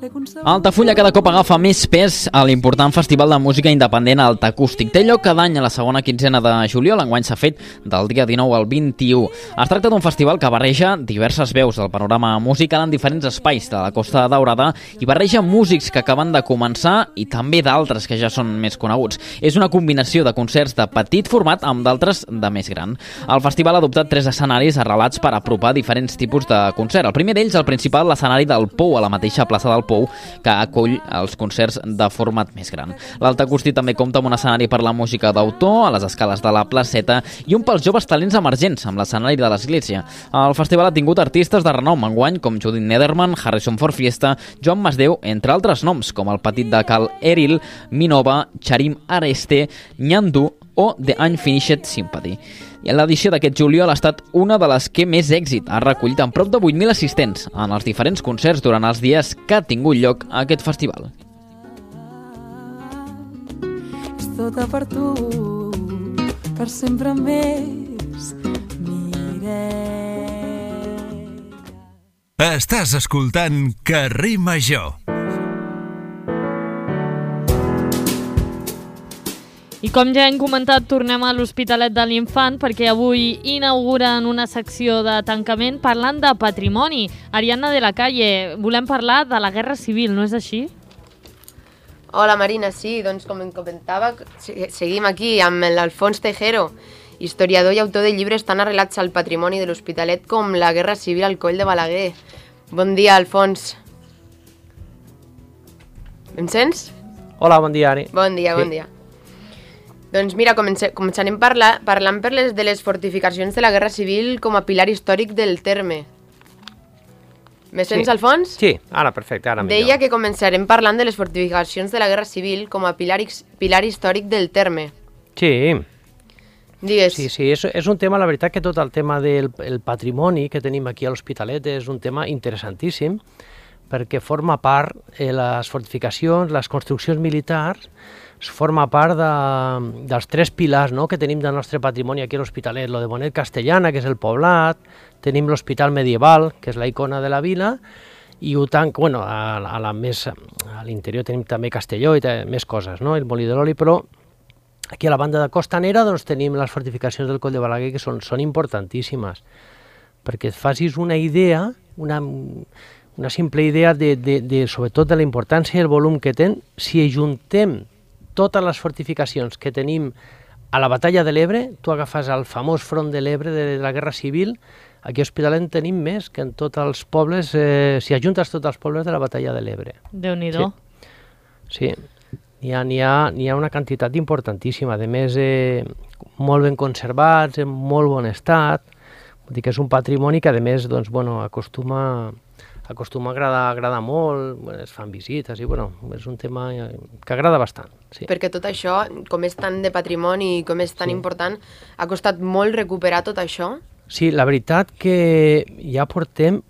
Altafulla cada cop agafa més pes a l'important festival de música independent Alta Acústic. Té lloc cada any a la segona quinzena de juliol, enguany s'ha fet del dia 19 al 21. Es tracta d'un festival que barreja diverses veus del panorama musical en diferents espais de la Costa Daurada i barreja músics que acaben de començar i també d'altres que ja són més coneguts. És una combinació de concerts de petit format amb d'altres de més gran. El festival ha adoptat 3 escenaris arrelats per apropar diferents tipus de concert. El primer d'ells, el principal, l'escenari del Pou, a la mateixa plaça del Pou, que acull els concerts de format més gran. L'Alta Acústic també compta amb un escenari per la música d'autor, a les escales de la placeta, i un pels joves talents emergents, amb l'escenari de l'església. El festival ha tingut artistes de renom enguany, com Judith Nederman, Harrison Ford Fiesta, Joan Masdeu, entre altres noms, com el petit de Cal Eril, Minova, Charim Areste, Nyandu o The Unfinished Sympathy. I l'edició d'aquest juliol ha estat una de les que més èxit ha recollit amb prop de 8.000 assistents en els diferents concerts durant els dies que ha tingut lloc a aquest festival. És tota per tu, per sempre més, Mireia. Estàs escoltant Carrer Major. I com ja hem comentat, tornem a l'Hospitalet de l'Infant perquè avui inauguren una secció de tancament parlant de patrimoni. Ariadna de la Calle, volem parlar de la Guerra Civil, no és així? Hola Marina, sí, doncs com em comentava, seguim aquí amb l'Alfons Tejero, historiador i autor de llibres tan arrelats al patrimoni de l'Hospitalet com la Guerra Civil al Coll de Balaguer. Bon dia, Alfons. Em sents? Hola, bon dia, Ari. Bon dia, bon dia. Doncs mira, començarem parlant de les fortificacions de la Guerra Civil com a pilar històric del terme. Me sents, Alfons? Sí, ara perfecte, ara millor. Deia que començarem parlant de les fortificacions de la Guerra Civil com a pilar històric del terme. Sí. Digues. Sí, és un tema, la veritat que tot el tema del patrimoni que tenim aquí a l'Hospitalet és un tema interessantíssim perquè forma part, les fortificacions, les construccions militars, forma part dels 3 pilars, no?, que tenim del nostre patrimoni aquí a l'Hospitalet. Lo de Bonet Castellana, que és el poblat, tenim l'Hospital Medieval, que és la icona de la vila, i a l'interior tenim també Castelló i més coses, no?, el Molí de l'Oli, però aquí a la banda de costanera doncs, tenim les fortificacions del Coll de Balaguer, que són importantíssimes, perquè et facis una idea, una simple idea sobretot de la importància i el volum que tenen, si ajuntem totes les fortificacions que tenim a la batalla de l'Ebre, tu agafes el famós front de l'Ebre de la Guerra Civil, aquí a Hospitalet en tenim més que en tots els pobles, si ajuntes tots els pobles de la batalla de l'Ebre. Déu-n'hi-do. Sí, n'hi ha una quantitat importantíssima, a més molt ben conservats, en molt bon estat, vull dir que és un patrimoni que a més doncs, acostuma a agradar molt, es fan visites i és un tema que agrada bastant. Sí. Perquè tot això, com és tant de patrimoni i com és tan important, ha costat molt recuperar tot això? Sí, la veritat que ja portem,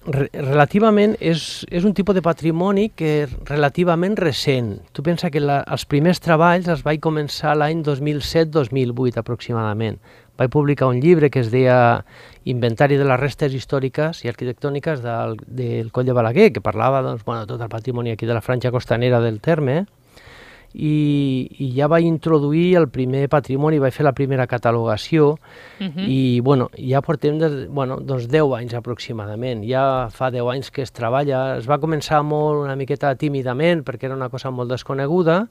relativament, és un tipus de patrimoni que és relativament recent. Tu pensa que els primers treballs els vaig començar l'any 2007-2008 aproximadament. Vaig publicar un llibre que es deia Inventari de les restes històriques i arquitectòniques del Coll de Balaguer, que parlava tot el patrimoni aquí de la franja costanera del terme, i ja vaig introduir el primer patrimoni, vaig fer la primera catalogació, i ja portem 10 anys aproximadament. Ja fa 10 anys que es treballa, es va començar una miqueta tímidament perquè era una cosa molt desconeguda,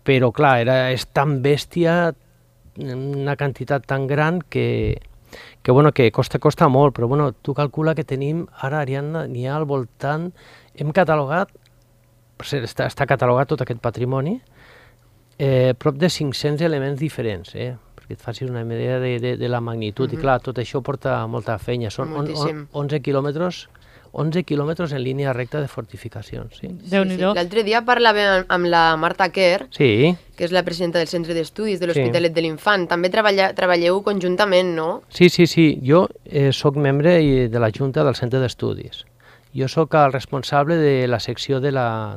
però clar, és tan bèstia, una quantitat tan gran que costa molt, però tu calcula que tenim, ara Ariadna, n'hi ha al voltant, hem catalogat, està catalogat tot aquest patrimoni, prop de 500 elements diferents, perquè et facis una idea de la magnitud, i clar, tot això porta molta feina, són 11 quilòmetres en línia recta de fortificacions. Déu-n'hi-do. L'altre dia parlàvem amb la Marta Kerr, que és la presidenta del Centre d'Estudis de l'Hospitalet de l'Infant. També treballeu conjuntament, no? Sí. Jo soc membre de la Junta del Centre d'Estudis. Jo sóc el responsable de la secció de la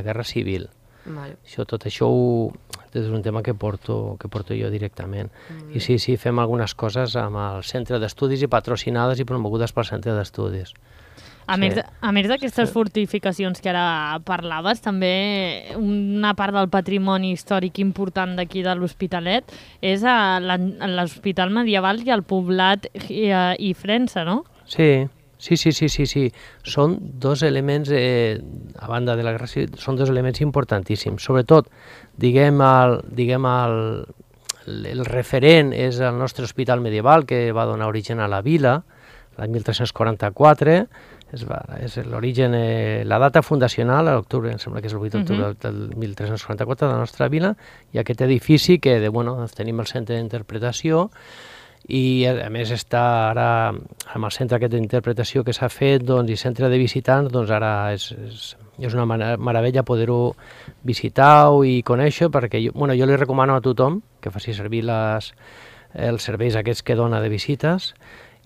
Guerra Civil. Tot això és un tema que porto jo directament. I sí, fem algunes coses amb el Centre d'Estudis i patrocinades i promogudes pel Centre d'Estudis. A més d'aquestes fortificacions que ara parlaves, també una part del patrimoni històric important d'aquí de l'Hospitalet és l'Hospital Medieval i el poblat Ifrensa, no? Sí. Són dos elements, a banda de la guerra civil, són dos elements importantíssims. Sobretot, el referent és el nostre hospital medieval, que va donar origen a la vila, l'any 1344, és l'origen, la data fundacional, a l'octubre, em sembla que és el 8 d'octubre del 1344 de la nostra vila, i aquest edifici que tenim el centre d'interpretació, i a més està ara amb el centre aquest d'interpretació que s'ha fet i centre de visitants, doncs ara és una meravella poder-ho visitar i conèixer, perquè jo li recomano a tothom que faci servir els serveis aquests que dona de visites,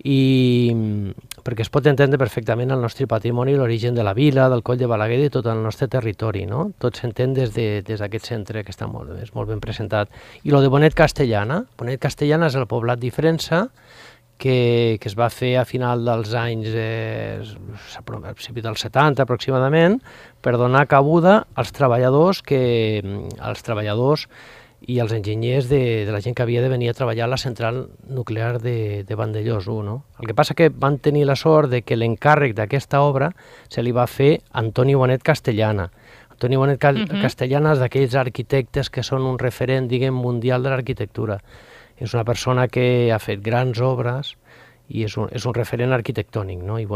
perquè es pot entendre perfectament el nostre patrimoni, l'origen de la vila, del Coll de Balaguer i tot el nostre territori, no? Tot s'entén des d'aquest centre que està molt ben presentat. I el de Bonet Castellana. Bonet Castellana és el poblat d'Ifrensa, que es va fer a final dels anys, a principi dels 70 aproximadament, per donar cabuda als treballadors i els enginyers de la gent que havia de venir a treballar a la central nuclear de Vandellós 1. No? El que passa que van tenir la sort de que l'encàrrec d'aquesta obra se li va fer a Antoni Bonet Castellana. Antoni Bonet Castellana és d'aquells arquitectes que són un referent, mundial de l'arquitectura. És una persona que ha fet grans obres i és un referent arquitectònic. No? I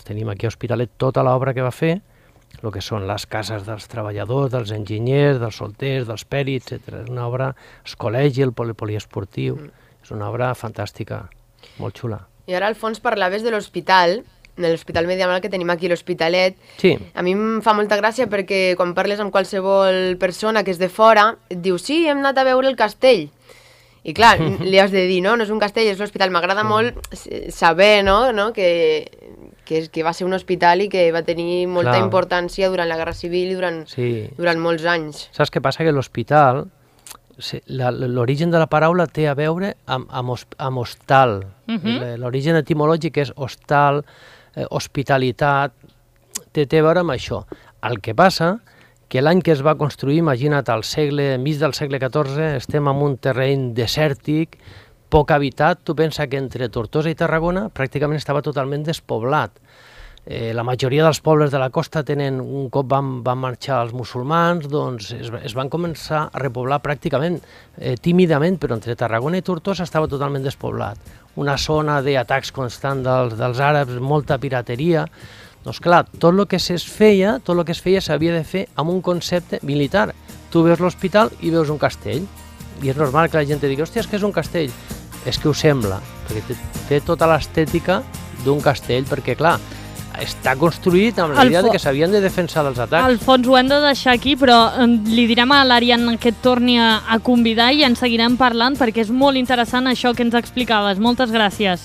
tenim aquí a Hospitalet tota l'obra que va fer, el que són les cases dels treballadors, dels enginyers, dels solters, dels pèrits, etc. És una obra, el col·legi, el poliesportiu, és una obra fantàstica, molt xula. I ara, Alfons, parlaves de l'hospital medieval que tenim aquí a l'Hospitalet. Sí. A mi em fa molta gràcia perquè quan parles amb qualsevol persona que és de fora, et diu, sí, hem anat a veure el castell. I clar, li has de dir, no és un castell, és l'hospital. M'agrada molt saber que va ser un hospital i que va tenir molta importància durant la Guerra Civil i durant molts anys. Saps què passa? Que l'hospital, l'origen de la paraula té a veure amb hostal. L'origen etimològic és hostal, hospitalitat, té a veure amb això. El que passa que l'any que es va construir, imagina't, mig del segle XIV, estem en un terreny desèrtic, poc habitat. Tu pensa que entre Tortosa i Tarragona pràcticament estava totalment despoblat. La majoria dels pobles de la costa un cop van marxar els musulmans, doncs es van començar a repoblar pràcticament tímidament, però entre Tarragona i Tortosa estava totalment despoblat. Una zona d'atacs constants dels àrabs, molta pirateria. Doncs clar, tot el que es feia s'havia de fer amb un concepte militar. Tu veus l'hospital i veus un castell. I és normal que la gent digui, hòstia, és que és un castell. És que ho sembla, perquè té tota l'estètica d'un castell, perquè clar, està construït amb la idea que s'havien de defensar dels atacs. Alfons, ho hem de deixar aquí, però li direm a l'Ariadna que et torni a convidar i en seguirem parlant, perquè és molt interessant això que ens explicaves. Moltes gràcies.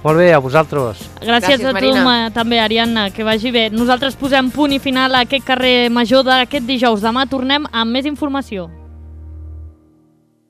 Molt bé, a vosaltres. Gràcies a tu també, Ariadna, que vagi bé. Nosaltres posem punt i final a aquest carrer major d'aquest dijous. Demà tornem amb més informació.